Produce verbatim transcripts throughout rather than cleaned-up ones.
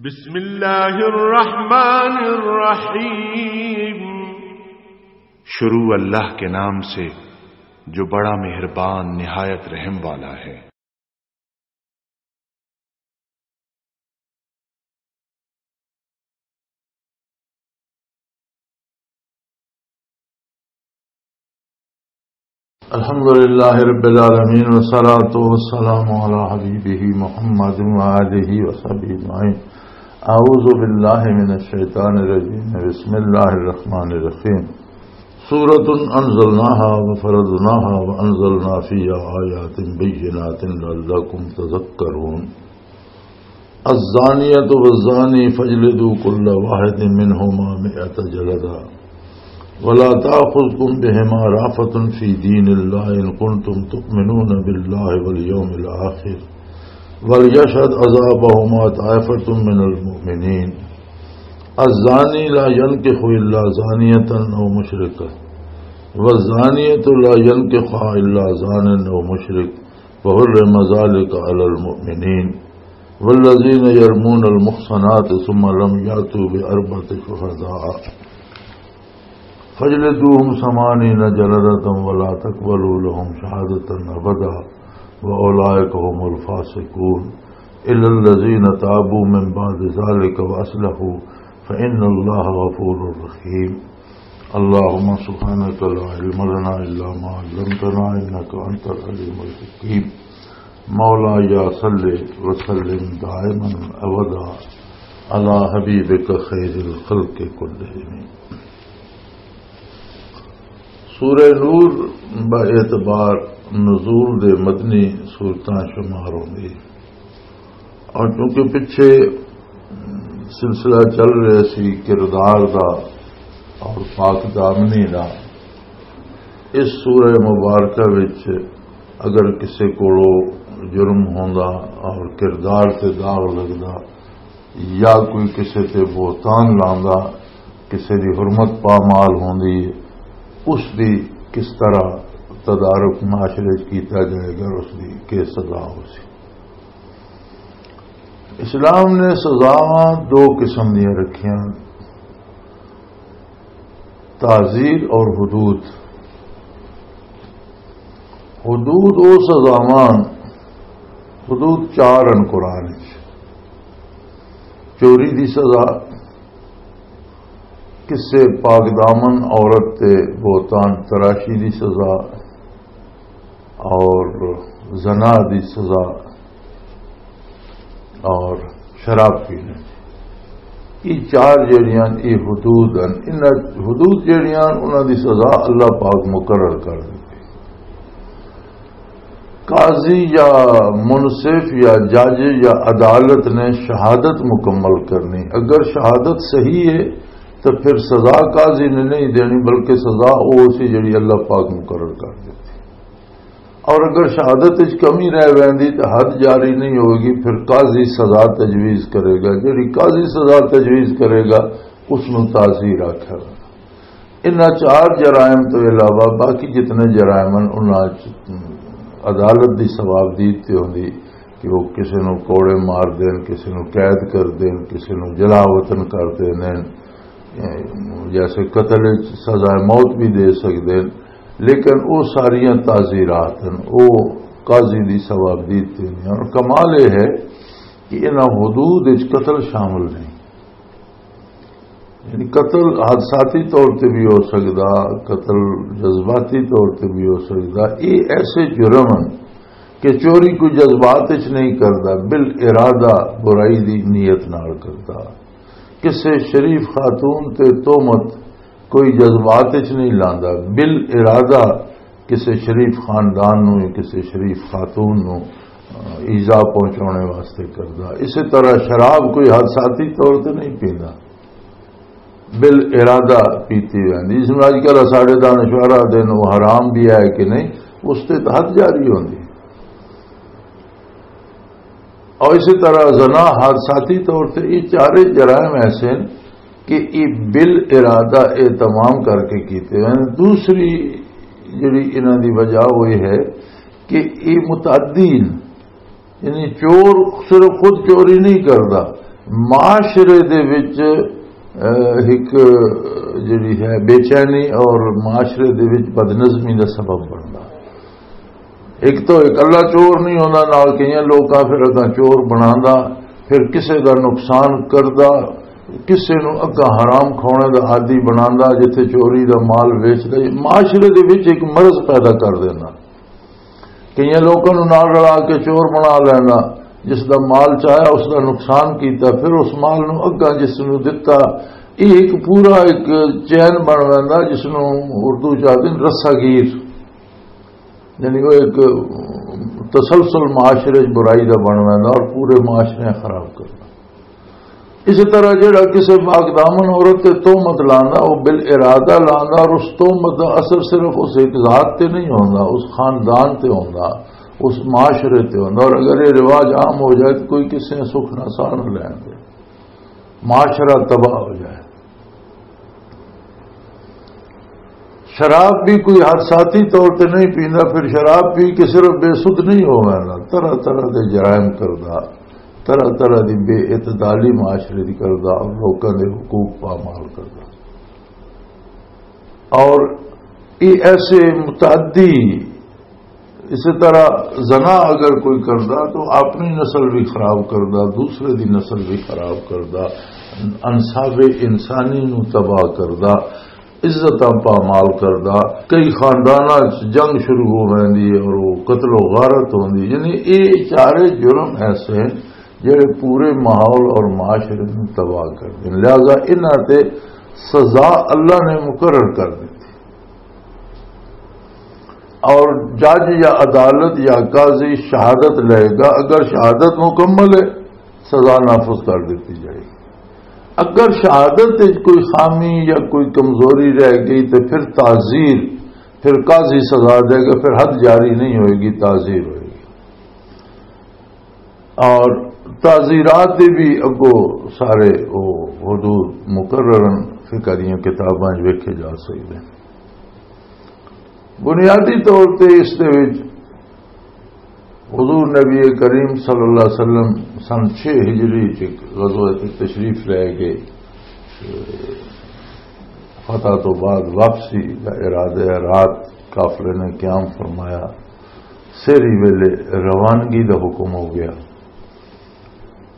بسم اللہ الرحمن الرحیم۔ شروع اللہ کے نام سے، جو بڑا مہربان، نہایت رحم والا ہے۔ الحمد لله رب العالمين، والصلاة والسلام على حبيبه محمد وآله وصحبه أجمعين. أعوذ بالله من الشيطان الرجيم. بسم الله الرحمن الرحيم. سورة أنزلناها وفرضناها وأنزلنا فيها آيات بينات لعلكم تذكرون. الزانية والزاني فاجلدوا كل واحد منهما مائة جلدة ولا تأخذكم بهما رأفة في دين الله إن كنتم تؤمنون بالله واليوم الآخر وليشهد عذابهما طائفة من المؤمنين. الزاني لا ينكح إلا زانية أو مشركة والزانية لا ينكحها إلا زان أو مشرك وحرم ذلك على المؤمنين. والذين يرمون المحصنات ثم لم يأتوا بأربعة شهداء فاجلدوهم ثمانين جلدة ولا تقبلوا لهم شهادة أبدا وأولئك هم الفاسقون. إلا الذين تابوا من بعد ذلك وأصلحوا فإن الله غفور رحيم. اللهم سبحانك لا علم لنا إلا ما علمتنا إنك أنت العليم الحكيم. مولاي صل وسلم دائما أبدا على حبيبك خير الخلق كلهم. سورہ نور با اعتبار نزول دے مدنی سورتاں شمار ہوندی ہے۔ اور چونکہ پچھے سلسلہ چل رہا سی کردار دا اور پاک دامنی دا، اس سورہ مبارکہ وچ اگر کسے کولو جرم ہوندا اور کردار تے داغ لگدا یا کوئی کسے تے بہتان لاندا، کسے دی حرمت پامال ہوندی، اس دی کس طرح تدارک معاشرے وچ کیتا جائے گا، اس دی کی سزا ہو سی۔ اسلام نے سزاواں دو قسم دیاں رکھیاں، تعزیر اور حدود۔ حدود او سزاواں، حدود چار ہیں قرآن وچ۔ چوری دی سزا، کسے پاک دامن عورت تے بہتان تراشی دی سزا، اور زنا دی سزا، اور شراب پینے۔ یہ چار جڑیاں، یہ حدود ہیں۔ انہاں حدود جڑیاں، انہاں دی سزا اللہ پاک مقرر کر دتی۔ قاضی یا منصف یا جج یا عدالت نے شہادت مکمل کرنی۔ اگر شہادت صحیح ہے تو پھر سزا قاضی نے نہیں دینی، بلکہ سزا وہ سی جڑی اللہ پاک مقرر کر دیتی۔ اور اگر شہادت وچ کمی رہ ویندی تو حد جاری نہیں ہوگی، پھر قاضی سزا تجویز کرے گا۔ جڑی قاضی سزا تجویز کرے گا، اس نوں تعزیر آکھیا ویندے۔ انہاں چار جرائم تو علاوہ باقی جتنے جرائم ہیں، انہاں چ عدالت دی ثوابدید تے ہوندی کہ وہ کسی نوں کوڑے مار دین، کسی نوں قید کر دین، کسی نوں جلا وطن کر دین، جیسے قتل وچ سزا موت بھی دے سکدے ہیں، لیکن وہ ساریاں تعزیرات ہیں، وہ قاضی دی ثوابدید تے نہیں۔ اور کمال یہ ہے کہ انہاں حدود وچ قتل شامل نہیں۔ یعنی قتل حادثاتی طور تے بھی ہو سکدا، قتل جذباتی طور تے بھی ہو سکدا۔ یہ ایسے جرم ہیں کہ چوری کوئی جذبات وچ نہیں کردا، بال ارادہ برائی دی نیت نال کردا۔ کسے شریف خاتون تے تہمت کوئی جذبات وچ نہیں لاندا، بال ارادہ کسے شریف خاندان نوں یا کسے شریف خاتون نوں، آ، ایذا پہنچانے واسطے کردا۔ اسی طرح شراب کوئی حادثاتی طور تے نہیں پیندا، بال ارادہ پیتی ویندی۔ اس میں اج کل ساڈے دانشور آدھے نے وہ حرام بھی ہے کہ نہیں، اس تے تو حد جاری ہوندی۔ اور اسی طرح زنا حادثاتی طور تے یہ چارے جرائم ایسے ہیں کہ یہ بال ارادہ اہتمام کر کے کیتے ہیں۔ دوسری جڑی انہاں دی وجہ وہ یہ ہے کہ یہ متعدی ہیں، یعنی چور صرف خود چوری نہیں کردا، معاشرے دے وچ، اہ، ایک جڑی ہے بے چینی اور معاشرے دے وچ بدنظمی دا سبب بندا۔ ایک تو اکلا چور نہیں ہوندا، نال کئی لوکاں پھر اگاں چور بناندا، پھر کسے دا نقصان کردا، کسے نوں اگاں حرام کھاونے دا عادی بناندا، جتھے چوری دا مال ویچدا، معاشرے دے وچ ایک مرض پیدا کر دیندا۔ کئی لوکاں نوں نال رلا کے چور بنا لینا، جس دا مال چاہیا اس دا نقصان کیتا، پھر اس مال نوں اگاں جس نوں دتا، یہ ایک پورا ایک چین بن ویندا، جس نوں اردو چ آخدے نے رسا گیر۔ یعنی وہ ایک تسلسل معاشرے چ برائی دا بن ویندا اور پورے معاشرے خراب کردا۔ اسی طرح جڑا کسی پاک دامن عورت تے تہمت لاندا، وہ بال ارادہ لاندا، اور اس تہمت دا اثر صرف اس ایک ذات تے نہیں ہوندا، اس خاندان تے ہوندا، اس معاشرے تے ہوندا۔ اور اگر یہ رواج عام ہو جائے تو کوئی کسی نے سکھ نہ ساہ نہ لین دے، معاشرہ تباہ ہو جائے۔ شراب بھی کوئی حادثاتی طور تے نہیں پیندا، پھر شراب پی کے صرف بے سدھ نہیں ہو ویندا، طرح طرح دے جرائم کردا، طرح طرح دی بے اعتدالی معاشرے دی کردا اور لوکاں دے حقوق پامال کردا۔ اور یہ ایسے متعدی، اسی طرح زنا اگر کوئی کردا تو اپنی نسل بھی خراب کردا، دوسرے دی نسل بھی خراب کردا، انصاف انسانی نو تباہ کردا، عزتاں پامال کردا۔ کئی خانداناں چ جنگ شروع ہو ویندی ہے اور وہ قتل و غارت ہوندی۔ یعنی یہ چارے جرم ایسے ہیں جڑے پورے ماحول اور معاشرے نو تباہ کر دین۔ لہذا انہاں تے سزا اللہ نے مقرر کر دتی۔ اور جج یا عدالت یا قاضی شہادت لے گا، اگر شہادت مکمل ہے، سزا نافذ کر دیتی جائے گی۔ اگر شہادت وچ کوئی خامی یا کوئی کمزوری رہ گئی تو پھر تعزیر، پھر قاضی سزا دے گا، پھر حد جاری نہیں ہوئے گی، تعزیر ہوئے گی۔ اور تعزیرات دے بھی اگو سارے وہ حدود مقرر ہیں، فقہ دیاں کتاباں وچ ویکھے جا سکدے ہیں۔ بنیادی طور تے اس دے وچ حضور نبی کریم صلی اللہ علیہ وسلم سن چھ ہجری چ غزوہ تے تشریف لے گئے، فتح تو بعد واپسی دا ارادہ ہے۔ رات قافلے نے قیام فرمایا، سحری ویلے روانگی دا حکم ہو گیا۔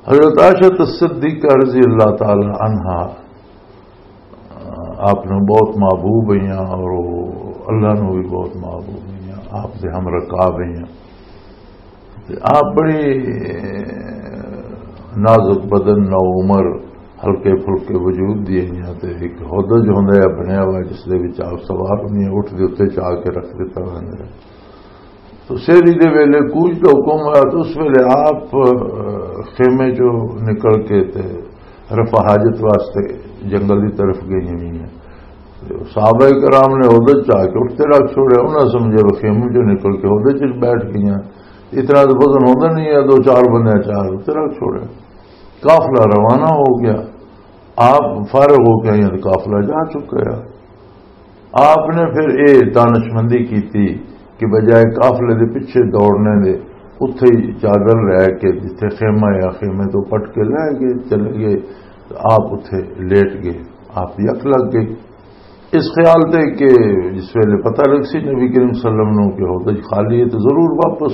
حضرت عائشہ صدیقہ رضی اللہ تعالی عنہا آپ نو بہت محبوب ہوئیاں اور وہ اللہ نو بھی بہت محبوب ہوئیاں، آپ دے ہم رکاب ہوئیاں۔ تے آپ بڑی نازک بدن، نو عمر، ہلکے پھلکے وجود دی ہوئیاں۔ تے ایک ہودج ہوندا ہے بنیا ہوا، جس دے وچ آپ سوار ہوندی ہیں، اٹھ دے اُتے چا کے رکھ دتا ہوندا ہے۔ تو سحری دے ویلے کوچ دا حکم ہویا، تو اس ویلے آپ، اہ، خیمے چوں نکل کے تے رفع حاجت واسطے جنگل دی طرف گئی ہوئی ہیں۔ تے صحابہ کرام نے ہودج چا کے اٹھ تے رکھ چھوڑیا، انہاں سمجھیا وہ خیمے چوں نکل کے ہودج چ بیٹھ گئی ہیں۔ اتنا تو وزن ہوندا نہیں ہے، دو چار بندے چا کے اٹھ تے رکھ چھوڑیا۔ قافلہ روانہ ہو گیا، آپ فارغ ہو کے آئیں تے قافلہ جا چکا ہے۔ آپ نے پھر اے دانشمندی کیتی کہ بجائے قافلے دے پیچھے دوڑنے دے، اتھے ہی چادر لے کے جتھے خیمہ یا خیمے تو پٹ کے لے گئے، چلے گئے، تو آپ اتھے لیٹ گئے، آپ دی اکھ لگ گئی۔ اس خیال تے کہ جس ویلے پتہ لگ سی نبی کریم صلی اللہ علیہ وسلم نو کہ ہودج خالی ہے تو ضرور واپس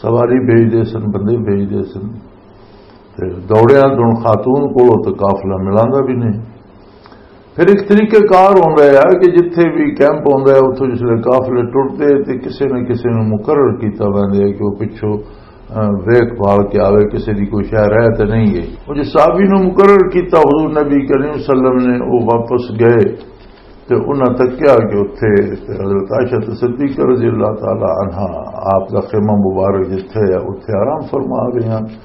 سواری بھیج دے سن، بندے بھیج دے سن۔ تے دوڑیا تو ہن خاتون کولوں تے قافلہ ملاندا بھی نہیں۔ پھر ایک طریقہ کار ہوندا ہے کہ جتھے بھی کیمپ ہوندا ہے، اتھوں جس ویلے قافلے ٹرتے تے کسے نہ کسے نوں مقرر کیتا ویندا ہے کہ وہ پچھوں، اہ، ویکھ بھال کے آوے، کسے دی کوئی شے رہ تے نہیں گئی۔ وہ جس صحابی نوں مقرر کیتا حضور نبی کریم صلی اللہ علیہ وسلم نے، وہ واپس گئے تے انہاں تکیا کہ اتھے تے حضرت عائشہ صدیقہ رضی اللہ تعالی عنہا آپ دا خیمہ مبارک جتھے ہے، اتھے آرام فرما رہے ہیں۔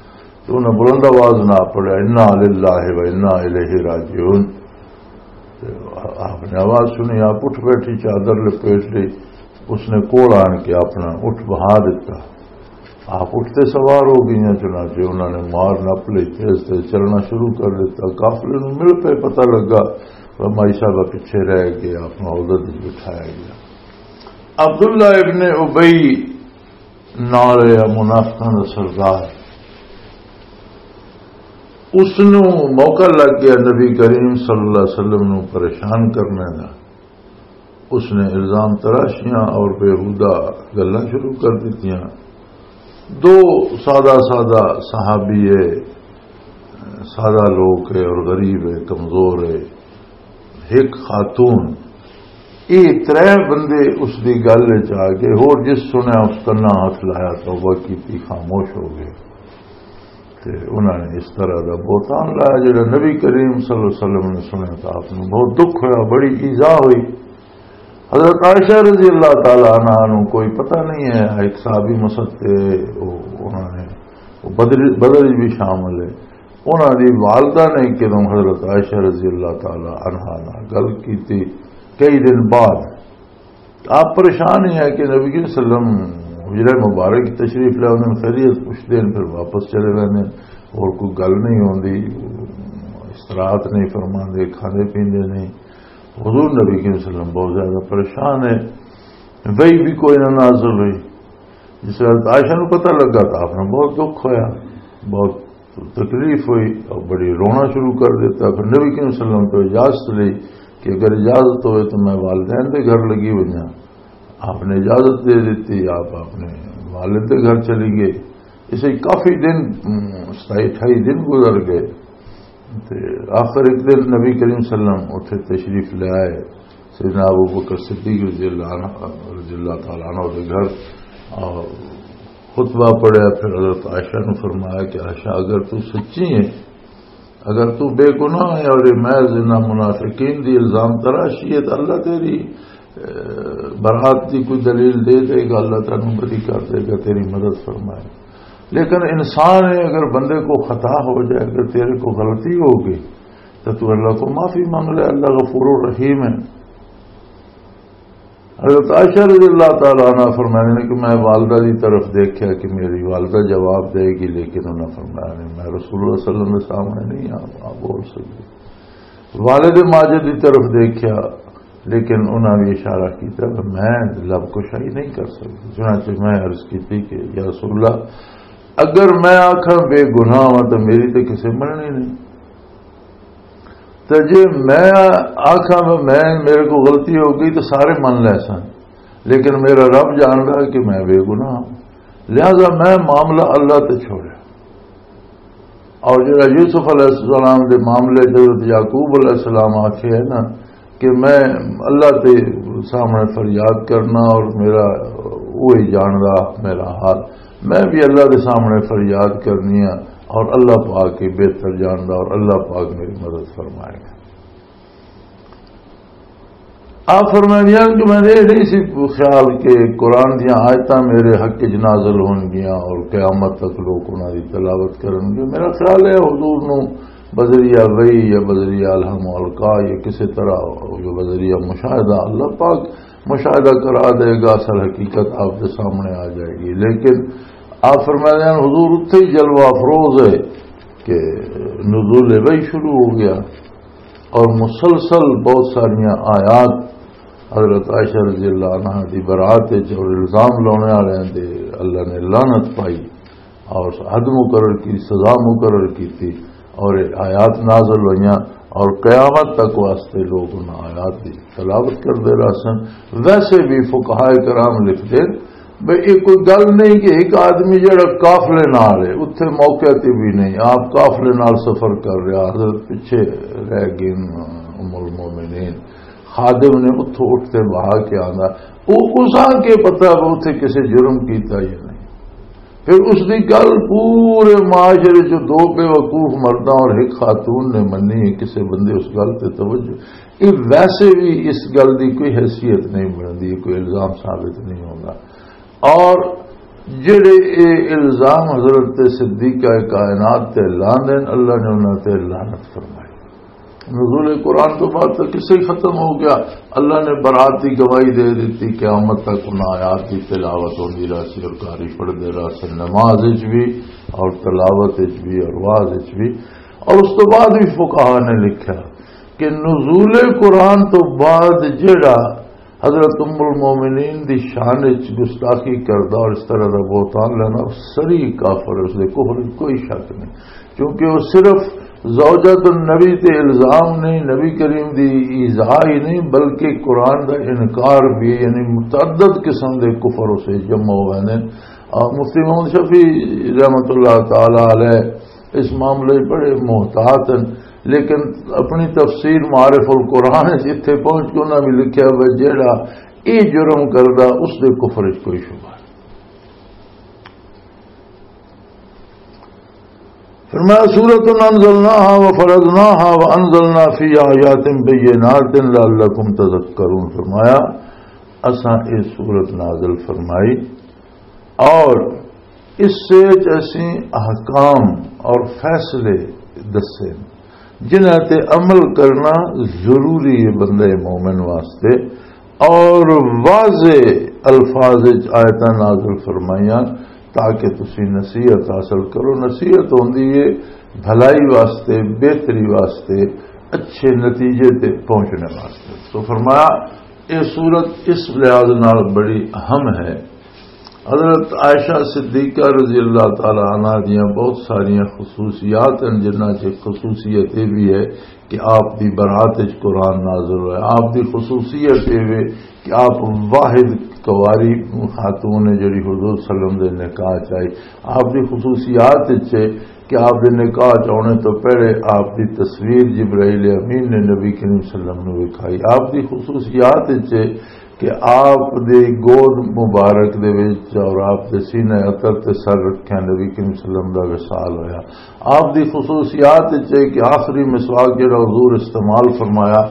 تو انہاں بلند آواز نہ پڑھیا، "انا للہ و انا الیہ راجعون۔" تے آپ نے آواز سنی، آپ اٹھ بیٹھی، چادر لپیٹ لی۔ اس نے کول آن کے اپنا اٹھ بہا دیتا۔ آپ اٹھ تے سوار ہو گئیاں، چنانچہ انہاں نے مار نپ لئی، تیز تیز چلنا شروع کر دیتا۔ قافلے نوں مل پئے، پتہ لگا، فرمائی صاحبہ پیچھے رہ کے آپ نوں عہدہ دے بٹھایا گیا۔ عبداللہ ابن ابی نال یا منافقاں دا سردار، اس نوں موقع لگ گیا نبی کریم صلی اللہ علیہ وسلم نوں پریشان کرنے دا۔ اس نے الزام تراشیاں اور بیہودہ گلاں شروع کر دتیاں۔ دو سادہ سادہ صحابی ہے، سادہ لوگ ہے اور غریب ہے، کمزور ہے، ایک خاتون، یہ ترے بندے اس دی گل وچ آ گئے۔ ہور جس سنیا اس کنا ہاتھ لایا، توبہ کیتی، خاموش ہو گئے۔ تے انہاں نے اس طرح دا بہتان لایا، جڑا نبی کریم صلی اللہ علیہ وسلم نے سنیا، تو آپ نوں بہت دکھ ہویا، بڑی ایذا ہوئی۔ حضرت عائشہ رضی اللہ تعالی عنہا نوں کوئی پتہ نہیں ہے، ایک صحابی مستے، وہ، انہاں نے، وہ بدر، بدر وچ بھی شامل ہے۔ انہاں دی والدہ نے کدوں حضرت عائشہ رضی اللہ تعالی عنہا نال گل کیتی، کئی دن بعد آپ پریشان ہی ہے کہ نبی کریم صلی اللہ علیہ وسلم حجرہ مبارک تشریف لے آتے ہیں، خیریت پوچھتے ہیں، پھر واپس چلے جاتے ہیں، اور کوئی گل نہیں ہوندی، استراحت نہیں فرماندے، کھاندے پیندے نہیں۔ حضور نبی کریم صلی اللہ علیہ وسلم بہت زیادہ پریشان ہے، وہی بھی کوئی نہ نازل ہوئی۔ جس وقت عائشہ نو پتہ لگا تو آپ نے بہت دکھ ہویا، بہت تکلیف ہوئی اور بڑی رونا شروع کر دیتا۔ پھر نبی کریم صلی اللہ علیہ وسلم تو اجازت لی کہ اگر اجازت ہوئے تو میں والدین دے گھر لگی ونجاں۔ آپ نے اجازت دے دیتی، آپ اپنے والد دے گھر چلی گئی۔ اسے کافی دن، ام، ستائی اٹھائی دن گزر گئے۔ تے آخر ایک دن نبی کریم صلی اللہ علیہ وسلم اتھے تشریف لے آئے، سیدنا ابو بکر صدیق رضی اللہ عنہ، رضی اللہ تعالیٰ عنہ دے گھر، اور خطبہ پڑھیا۔ پھر حضرت عائشہ نے فرمایا کہ عائشہ، اگر تو سچی ہے، اگر تو بے گناہ ہے اور یہ محض انہاں منافقین دی الزام تراشی ہے، تو اللہ تیری، اے، برات دی کوئی دلیل دے دے گا، اللہ تینوں بری کر دے گا، تیری مدد فرمائے۔ لیکن انسان ہے، اگر بندے کو خطا ہو جائے، اگر تیرے کو غلطی ہو گئی، تو تو اللہ کو معافی مانگ لے، اللہ غفور الرحیم ہے۔ حضرت عائشہ رضی اللہ تعالیٰ عنہ فرمانے نے کہ میں والدہ دی طرف دیکھیا کہ میری والدہ جواب دے گی، لیکن انہاں فرمایا نہیں، میں رسول اللہ صلی اللہ علیہ وسلم دے سامنے نہیں آ، آ بول سکتی۔ والد ماجد دی طرف دیکھیا، لیکن انہاں بھی اشارہ کیتا کہ میں لب کشائی نہیں کر سکتی۔ چنانچہ میں عرض کیتی کہ یا رسول اللہ، اگر میں آکھاں بے گناہ ہاں تو میری تے کسے مننی نہیں۔ تے جے میں آکھاں میں، میرے کو غلطی ہو گئی تو سارے من لے سن، لیکن میرا رب جاندا کہ میں بے گناہ ہاں، لہذا میں معاملہ اللہ تے چھوڑیا۔ اور جڑا یوسف علیہ السلام دے معاملے حضرت یعقوب علیہ السلام آکھے ہے نا کہ میں اللہ تے سامنے فریاد کرنا اور میرا وہی جاندا میرا حال، میں بھی اللہ دے سامنے فریاد کرنی ہے اور اللہ پاک ہی بہتر جاندا اور اللہ پاک میری مدد فرمائے گا۔ آپ فرمائے کہ میں نے یہ نہیں سی خیال کہ قرآن دیاں آیتاں میرے حق وچ نازل ہون گیاں اور قیامت تک لوگ انہاں دی تلاوت کرن گے۔ میرا خیال ہے حضور نو بذریعہ وحی یا بذریعہ الہام و القا یا کسی طرح جو بذریعہ مشاہدہ اللہ پاک مشاہدہ کرا دے گا، اصل حقیقت آپ کے سامنے آ جائے گی۔ لیکن آپ فرماتے ہیں حضور اتھے ہی جلوہ افروز ہے کہ نزول وحی شروع ہو گیا اور مسلسل بہت ساریاں آیات حضرت عائشہ رضی اللہ عنہ دی برات وچ اور الزام لانے والے دے اللہ نے لعنت پائی اور حد مقرر کی، سزا مقرر کی تھی اور یہ آیات نازل ہوئیاں اور قیامت تک واسطے لوگ ان آیات دی تلاوت کرتے رہ سن۔ ویسے بھی فقہائے کرام لکھتے بھئی یہ کوئی گل نہیں کہ ایک آدمی جڑا قافلے نال ہے، اتھے موقع تے بھی نہیں، آپ قافلے نال سفر کر رہا، حضرت پیچھے رہ گئے، ام المومنین خادم نے اتھوں اٹھ تے بہا کے آندا، وہ اس آ کے پتہ وہ اتھے کسے جرم کیتا یا نہیں۔ پھر اس دی گل پورے معاشرے چ دو بے وقوف مرداں اور ایک خاتون نے منی ہے، کسے بندے اس گل تے توجہ، یہ ویسے بھی اس گل دی کوئی حیثیت نہیں بنتی، کوئی الزام ثابت نہیں ہوتا۔ اور جڑے اے الزام حضرت صدیقہ کائنات تے لاندے نے، اللہ نے انہاں تے لعنت فرمائی۔ نزول قرآن تو بعد تو قصہ ہی ختم ہو گیا۔ اللہ نے برات دی گواہی دے دیتی، قیامت تک انہاں آیات دی تلاوت ہوندی رہسی اور قاری پڑھدے رہسن، نماز وچ بھی اور تلاوت وچ بھی اور وعظ وچ بھی۔ اور اس تو بعد بھی فقہا نے لکھا کہ نزول قرآن تو بعد جڑا حضرت ام المومنین دی شان وچ گستاخی کردا اور اس طرح دا بہتان لینا، سری کافر ہے، اس دے کفر وچ کوئی شک نہیں، کیونکہ وہ صرف زوجۃ النبی تے الزام نہیں، نبی کریم دی ایذاء ہی نہیں، بلکہ قرآن دا انکار بھی، یعنی متعدد قسم دے کفر اسے جمع ہوئے نے۔ اور مفتی محمد شفیع رحمۃ اللہ تعالی علیہ اس معاملے بڑے محتاط ہیں، لیکن اپنی تفسیر معارف القرآن وچ اتھے پہنچ کے انہاں بھی لکھیا ہوا، جیڑا یہ جرم کردا، اس دے کفر وچ کوئی شبہ نہیں۔ فرمایا، سورۃ انزلناها وفرضناها وانزلنا فيها آيات بينات لعلكم تذكرون۔ فرمایا، اساں یہ سورت نازل فرمائی اور اس سے اسی احکام اور فیصلے دسے، جنہاں تے عمل کرنا ضروری ہے بندے مومن واسطے، اور واضح الفاظ وچ آیتاں نازل فرمائیاں تاکہ تسی نصیحت حاصل کرو۔ نصیحت ہوندی ہے بھلائی واسطے، بہتری واسطے، اچھے نتیجے تے پہنچنے واسطے۔ تو فرمایا، یہ سورت اس لحاظ نال بڑی اہم ہے۔ حضرت عائشہ صدیقہ رضی اللہ تعالی عنہا دیاں بہت ساریاں خصوصیات ہیں، جنہاں چ خصوصیت یہ بھی ہے کہ آپ دی برات وچ قرآن نازل ہویا۔ آپ دی خصوصیت یہ ہے کہ آپ واحد کواری خاتون نے جڑی حضور صلی اللہ علیہ وسلم دے نکاح چ آئی۔ آپ دی خصوصیات وچ ہے کہ آپ دے نکاح چ آنے تو پہلے آپ دی تصویر جبرائیل امین نے نبی کریم صلی اللہ علیہ وسلم نو وکھائی۔ آپ دی خصوصیات وچ ہے کہ آپ دے گود مبارک دے وچ اور آپ دے سینہ اطر تے سر رکھیا نبی کریم صلی اللہ علیہ وسلم دا وصال ہویا۔ آپ دی خصوصیات وچ ہے کہ آخری مسواک جڑا حضور استعمال فرمایا،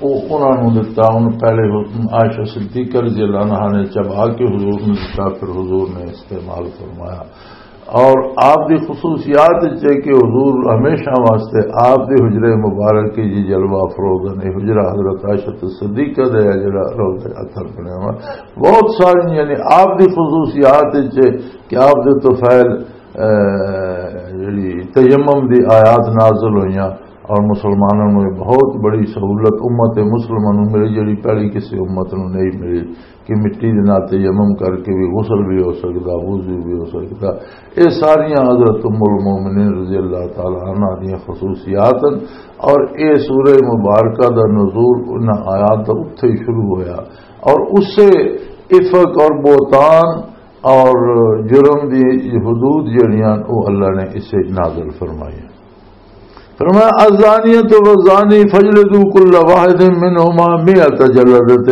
وہ انہاں نوں دتا۔ ان پہلے عائشہ صدیقہ رضی اللہ عنہا نے چبا کے حضور نوں دتا، پھر حضور نے استعمال فرمایا۔ اور آپ دی خصوصیات وچ ہے کہ حضور ہمیشہ واسطے آپ دے حجرے مبارک کی جی جلوہ افروز نے۔ حجرہ حضرت عائشہ صدیقہ دے ہے جڑا روضہ اطہر بنیا ہوا۔ بہت ساری یعنی آپ دی خصوصیات وچ ہے کہ آپ دے طفیل، اے، جڑی تیمم دی آیات نازل ہوئیاں اور مسلمانوں نوں یہ بہت بڑی سہولت امت مسلمہ نوں ملی، جڑی پہلی کسی امت نوں نہیں ملی۔ کہ مٹی دے نال تیمم کر کے بھی غسل بھی ہو سکدا، وضو بھی ہو سکدا۔ یہ ساریاں حضرت ام المومنین رضی اللہ تعالی عنہا دیاں خصوصیات ہیں۔ اور یہ سورہ مبارکہ دا نزول انہاں آیات دا اتھے ہی شروع ہویا، اور اسے افک اور بہتان اور جرم دی حدود جڑیاں، وہ اللہ نے اسے نازل فرمائی۔ فرمایا، الزانیۃ والزانی فاجلدوا کل واحد منہما مئۃ جلدۃ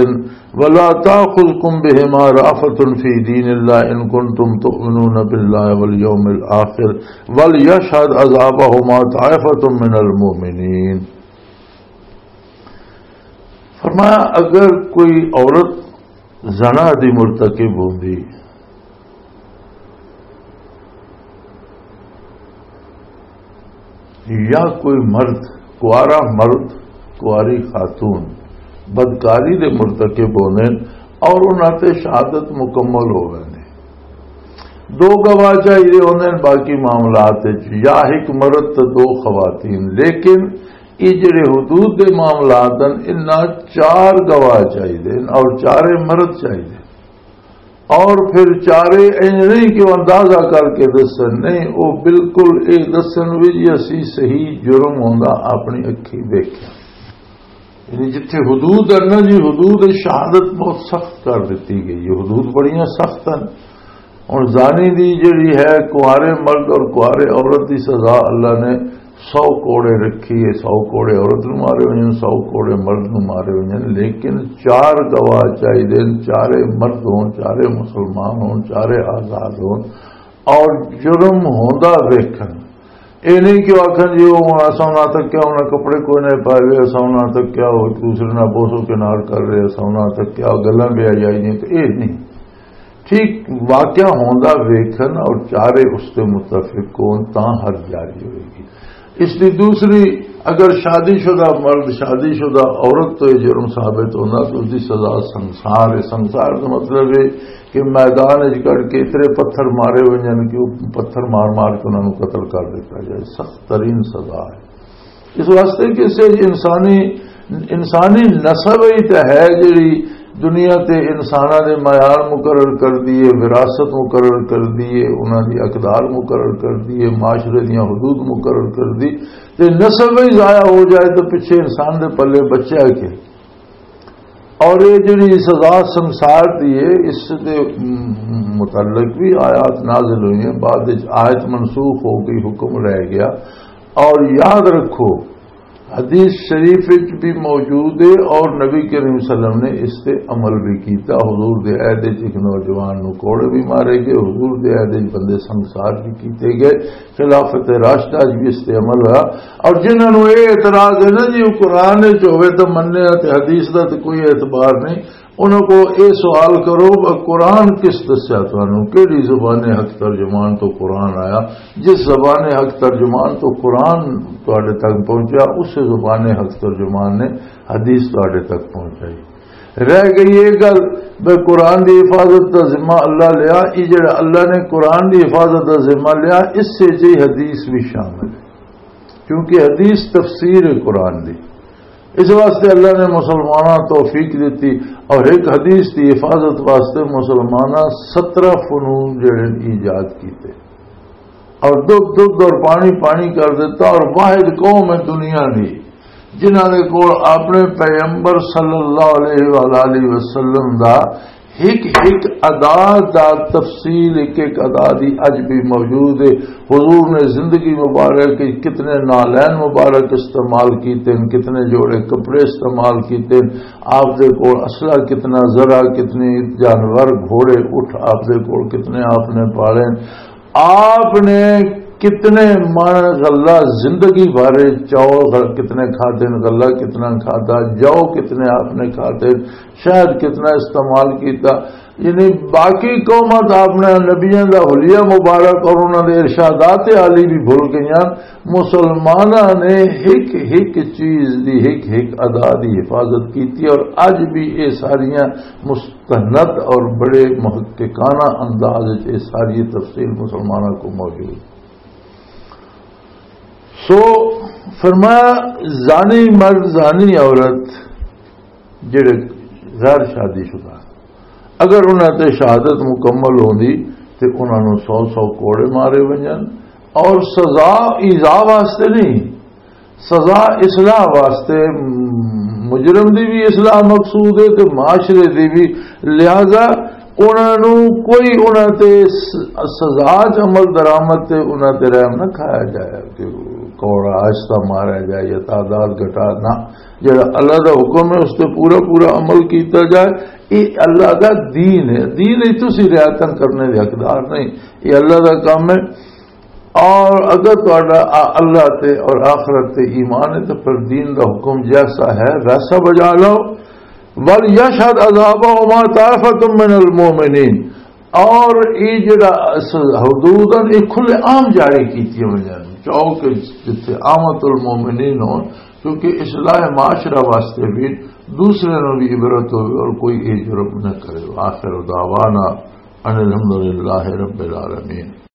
ولا تأخذکم بہما رأفۃ فی دین اللہ ان کنتم تؤمنون باللہ والیوم الآخر ولیشہد عذابہما طائفۃ من المؤمنین۔ فرمایا، اگر کوئی عورت زنا دی مرتکب ہوندی یا کوئی مرد، کوارا مرد، کواری خاتون بدکاری دے مرتکب ہوندے اور انہاں تے شہادت مکمل ہو ویندے۔ دو گواہ چاہیے ہوندے باقی معاملات وچ، یا ایک مرد تے دو خواتین، لیکن یہ جڑے حدود دے معاملات ہیں، انہاں چار گواہ چاہیے اور چارے مرد چاہیے۔ اور پھر چارے انج نہیں کہ وہ اندازہ کر کے دسن، نہیں، وہ بالکل یہ دسن بھی جی اسی صحیح جرم ہوندا اپنی اکھی دیکھیا۔ یعنی جتھے حدود ہے نا جی، حدود شہادت بہت سخت کر دیتی گئی ہے، حدود بڑیاں سخت ہیں۔ ہن زانی دی جڑی ہے، کنوارے مرد اور کنوارے عورت دی سزا اللہ نے سو کوڑے رکھی ہے، سو کوڑے عورت نو مارے ہوئے ہیں، سو کوڑے مرد نو مارے ہوئے ہیں، لیکن چار گواہ چاہیے، چارے مرد ہون، چارے مسلمان ہون، چارے آزاد ہون، اور جرم ہوندا ویکھن۔ اے نہیں کہ وہ آکھن جی، وہ ہن اساں انہاں تک کیا، انہاں کپڑے کوئی نہ پائے ہوئے، اساں انہاں تک کیا، وہ ایک دوسرے نال بوسو کنار کر رہے، اساں انہاں تک کیا، گلاں بے حیائی نہیں، تو اے نہیں۔ ٹھیک واقعہ ہوندا ویکھن اور چارے اس تے متفق ہون تاں حد جاری ہوئے گی۔ اس دی دوسری، اگر شادی شدہ مرد شادی شدہ عورت تو یہ جرم ثابت ہوندا تو اس دی سزا سنسار ہے۔ سنسار دا مطلب ہے کہ میدان وچ کڈ کے اتنے پتھر مارے ہوئے جان کہ وہ پتھر مار مار کے انہاں نوں قتل کر دیتا جائے، سخت ترین سزا ہے۔ اس واسطے کہ اس وچ انسانی، انسانی نسل ہی تے ہے جڑی دنیا تے انساناں دے معیار مقرر کر دیے، وراثت مقرر کر دیے، انہاں دی اقدار مقرر کر دیے، معاشرے دیاں حدود مقرر کر دی، تے نسل بھی ضائع ہو جائے تو پچھے انسان دے پلے بچیا کے؟ اور یہ جڑی سزا سنسار دی ہے، اس دے متعلق بھی آیات نازل ہوئی ہیں، بعد وچ آیت منسوخ ہو گئی، حکم رہ گیا۔ اور یاد رکھو، حدیث شریف وچ بھی موجود ہے اور نبی کریم صلی اللہ علیہ وسلم نے اس تے عمل بھی کیتا۔ حضور دے عہد وچ ایک نوجوان نو کوڑے بھی مارے گئے، حضور دے عہد وچ بندے سنسار بھی کیتے گئے، خلافت راشدہ وچ بھی اس تے عمل ہوا۔ اور جنہاں نو یہ اعتراض ہے نا جی، وہ قرآن وچ ہوئے تو مننے تے حدیث دا تے کوئی اعتبار نہیں، انہاں کو یہ سوال کرو، قرآن کس دسیا تانوں؟ کیڑی زبان حق ترجمان تو قرآن آیا؟ جس زبان حق ترجمان تو قرآن تواڈے تک پہنچا، اس زبان حق ترجمان نے حدیث تواڈے تک پہنچائی۔ رہ گئی یہ گل، بے قرآن دی حفاظت دا ذمہ اللہ لیا۔ یہ جڑا اللہ نے قرآن دی حفاظت دا ذمہ لیا، اس سے جی حدیث بھی شامل ہے، کیونکہ حدیث تفسیر ہے قرآن دی۔ اس واسطے اللہ نے مسلماناں توفیق دیتی اور ایک حدیث دی حفاظت واسطے مسلماناں سترہ فنون جڑے ایجاد کیتے اور دودھ دودھ اور پانی پانی کر دیتا۔ اور واحد قوم ہے دنیا دی جنہاں دے کول اپنے پیغمبر صلی اللہ علیہ وآلہ وسلم دا ایک ایک ادا دا تفصیل، ایک ایک ادا دی اج بھی موجود ہے۔ حضور نے زندگی مبارک وچ کتنے نالین مبارک استعمال کیتے ہیں، کتنے جوڑے کپڑے استعمال کیتے ہیں، آپ دے کول اسلحہ کتنا، ذرا کتنی جانور، گھوڑے، اٹھ آپ دے کول کتنے آپ نے پالے ہیں۔ آپ نے کتنے من غلہ زندگی بھر، چاول غل-، کتنے کھاتے ہیں، غلہ کتنا کھاتا، جو کتنے آپ نے کھاتے ہیں، شہد کتنا استعمال کیتا۔ یعنی باقی قوماں تو اپنے نبیاں دا حلیہ مبارک اور انہاں دے ارشادات عالی بھی بھول گئیاں۔ مسلماناں نے ہک ہک چیز دی، ہک ہک ادا دی حفاظت کیتی اور اج بھی یہ ساریاں مستند اور بڑے محققانہ انداز وچ یہ ساری تفصیل مسلماناں کو موجود۔ سو فرمایا، زانی مرد، زانی عورت جڑے غیر شادی شدہ، اگر انہاں تے شہادت مکمل ہوندی تے انہاں نوں سو سو کوڑے مارے ونجن۔ اور سزا ایذا واسطے نہیں، سزا اصلاح واسطے۔ مجرم دی بھی اصلاح مقصود ہے تے معاشرے دی بھی۔ لہذا انہاں نوں کوئی انہاں تے س-، سزا چ عمل درآمد تے انہاں تے رحم نہ کھایا جائے کہ کوڑا آہستہ مارا جائے یا تعداد گھٹا نہ۔ جڑا اللہ دا حکم ہے، اس تے پورا پورا عمل کیتا جائے۔ یہ اللہ دا دین ہے، دین ہی تسی رعایتاں کرنے دے حقدار نہیں، یہ اللہ دا کام ہے۔ اور اگر تہاڈا آ-، اللہ تے اور آخرت تے ایمان ہے، تو پھر دین دا حکم جیسا ہے ویسا بجا لو۔ وَلْيَشْهَدْ عَذَابَهُمَا طَائِفَةٌ مِّنَ الْمُؤْمِنِينَ۔ اور یہ جڑا س-، حدود ہیں، یہ کھلے عام جاری کیتی ہوئی ہیں، چاہو کہ جتھے عامت المومنین ہون، کیونکہ اصلاح معاشرہ واسطے بھی دوسرے نوں بھی عبرت ہوئے اور کوئی یہ جرم نہ کرے۔ آخر دعوانا ان الحمدللہ رب العالمین۔